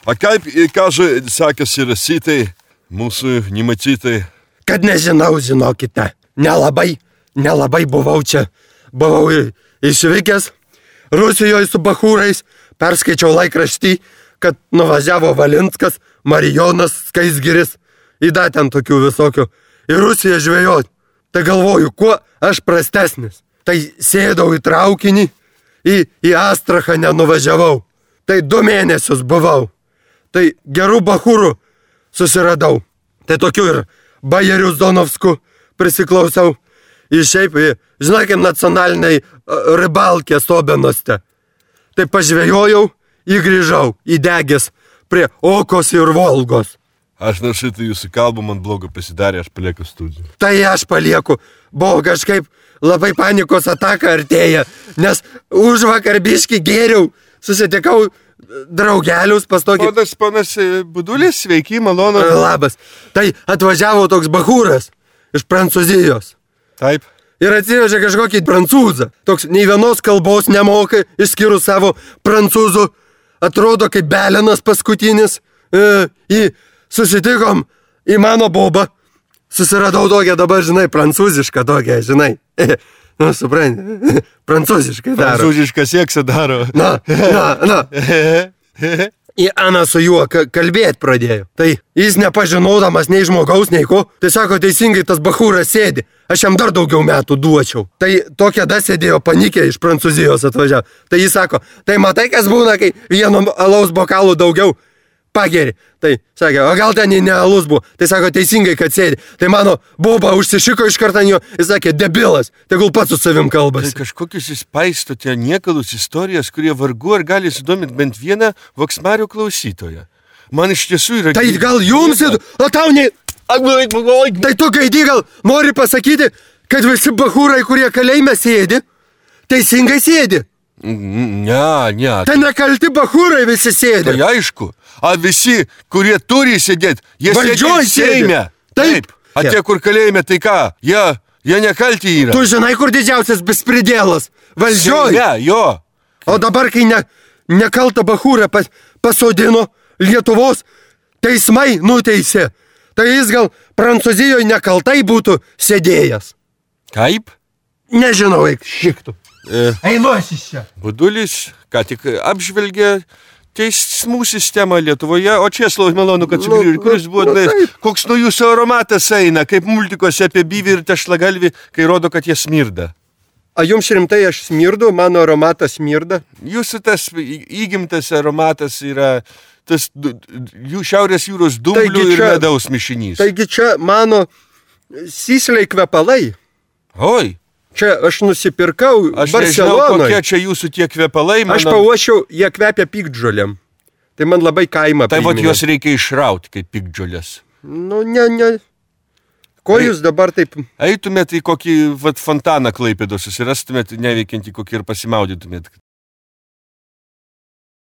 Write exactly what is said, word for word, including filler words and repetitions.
A kaip, kažu, sekasi rasytai, mūsų nematytai? Kad nežinau, žinokite. Nelabai, nelabai buvau čia. Buvau išvykęs Rusijoje su bachūrais, perskaičiau laikraštį, kad nuvažiavo Valinskas, Marijonas, Skaisgiris, įda ten tokių visokių, į Rusiją žvejot. Tai galvoju, kuo aš prastesnis. Tai sėdau į traukinį, į, į Astrachanę nuvažiavau. Tai du mėnesius buvau. Tai gerų bachūrų susiradau. Tai tokių ir bajerių Zonovskų prisiklausiau. Ir šiaip, žinai, kaip nacionaliniai ribalkė Sobenoste. Tai pažvejojau, įgrįžau, įdegęs prie Okos ir Volgos. Aš nors šitą jūsų kalbą, man blogo pasidarė, aš palieku studiją. Tai aš palieku. Buvo kažkaip labai panikos ataka artėja, nes už vakar biškį gėriau, susitikau draugelius pas tokį... Ponas, ponas Budulis, sveiki, malonu. Labas. Tai atvažiavo toks bachūras iš Prancūzijos. Taip. Ir atsivežė kažkokį prancūzą. Toks nei vienos kalbos nemoka, išskyrus savo prancūzų. Atrodo kaip belenas paskutinis. E, į susitikom į mano bobą. Susiradau tokią dabar, žinai, prancūzišką tokią, žinai. Nu, supranti, prancūziškai daro. Prancūzišką seksą daro. Na, na, na. Į Aną su juo kalbėti pradėjo. Tai jis nepažinodamas nei žmogaus, nei ko. Tai sako, teisingai tas bachūras sėdi. Aš jam dar daugiau metų duočiau. Tai tokia da sėdėjo panikė iš Prancūzijos atvažiavo. Tai jis sako, tai matai, kas būna, kai vieno alaus bokalų daugiau pageri. Tai sakė, o gal ten ne alus buvo. Tai sako, teisingai, kad sėdi. Tai mano boba užsišiko iš karto ant jo. Jis sakė, debilas, tegul pats su savim kalbasi. Tai kažkokius įspaistote niekalus istorijas, kurie vargu ar gali sudominti bent vieną Voksmario klausytoją. Man iš tiesų yra... Tai gal jums, o tau ne... Tai tu, Gaidį, gal nori pasakyti, kad visi bachūrai, kurie kalėjime sėdi, teisingai sėdi? Ne, ne. Tai nekalti bachūrai visi sėdi. Tai aišku. A visi, kurie turi sėdėti, jie Valdžioj sėdi Seime. Taip. A tie, kur kalėjime, tai ką? Jie, jie nekalti yra. Tu žinai, kur didžiausias bespridėlas? Valdžioj. Ne, jo. O dabar, kai ne, nekaltą bachūrą pas, pasodino Lietuvos teismai nuteisė, tai jis gal Prancūzijoje nekaltai būtų sėdėjęs. Kaip? Nežinau, eik šiktų. E, Einuosis čia. Budulis, ką tik apžvelgė teismų sistemą Lietuvoje, o Česlovas malonu, kad sugrįžo, kuris buvo, nu, na, koks nuo jūsų aromatas eina, kaip multikose apie byvį ir tešlagalvį, kai rodo, kad jie smirda. A jums rimtai aš smirdu, mano aromatas smirda? Jūsų tas įgimtas aromatas yra tas jų Šiaurės jūros dumblių ir medaus mišinys. Taigi čia mano sysliai kvepalai. Oi. Čia aš nusipirkau aš Barcelonoje. Aš nežinau, kokie čia jūsų tie kvepalai. Mano... Aš pauošiau, jie kvepia piktžolėm. Tai man labai kaimą tai priminė. Tai vat juos reikia išrauti kaip piktžolės. Nu, ne, ne. Ko tai, jūs dabar taip... Eitumėt į kokį vat, fontaną Klaipėdos, susirastumėt neveikiantį kokį ir pasimaudytumėt.